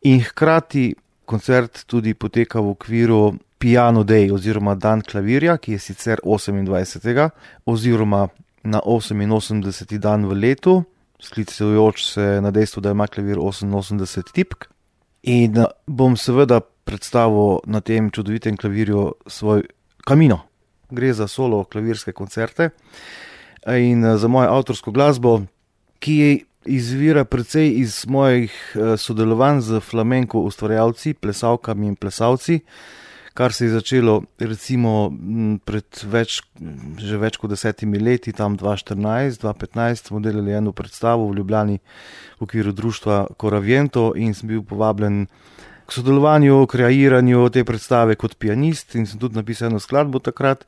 In hkrati koncert tudi poteka v okviru Piano Day oziroma Dan klavirja, ki je sicer 28. oziroma na 88. dan v letu, sklicujoč se na dejstvo, da ima klavir 88 tipk. In bom seveda predstavil na tem čudovitem klavirju svoj Camino. Gre za solo klavirske koncerte in za mojo avtorsko glasbo, ki izvira precej iz mojih sodelovanj z flamenko ustvarjalci, plesalkami in plesalci, kar se je začelo recimo pred že več kot 10 leti, tam 2014, 2015 smo delali eno predstavo v Ljubljani v okviru društva Coraviento in sem bil povabljen k sodelovanju, kreiranju te predstave kot pianist in sem tudi napisal eno skladbo takrat.